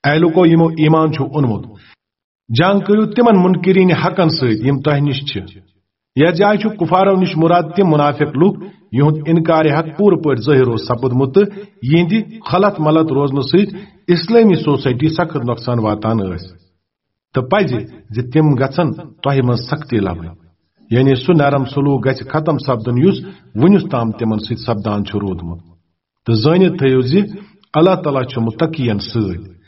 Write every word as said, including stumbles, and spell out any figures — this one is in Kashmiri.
اے لوکو، یِمو ایمان چھُ اوٚنمُت، جنگ کٔرِو تِمن منکرین حقن سۭتۍ یِم تۄہہِ نِش چھِ۔ یتھ جایہِ چھُ کفارو نِش مراد تِم منافق لُکھ، یِہُنٛد انکار حق پوٗرٕ پٲٹھۍ ظٲہِر اوس سپُدمُت تہٕ یِہنٛدِ خلط ملط روزنہٕ سۭتۍ اسلٲمی سوسائٹی سخت نۄقصان واتان ٲسۍ۔ تہٕ پزِ زِ تِم گژھن تۄہہِ منٛز سختی لبٕنۍ، یعنی سُہ نرم سلوک گژھِ ختم سپدُن یُس وُنیُس تام تِمن سۭتۍ سپدان چھُ روٗدمُت۔ تہٕ زٲنِتھ تھٲیِو زِ اللہ تعالیٰ چھُ متقین سۭتۍ،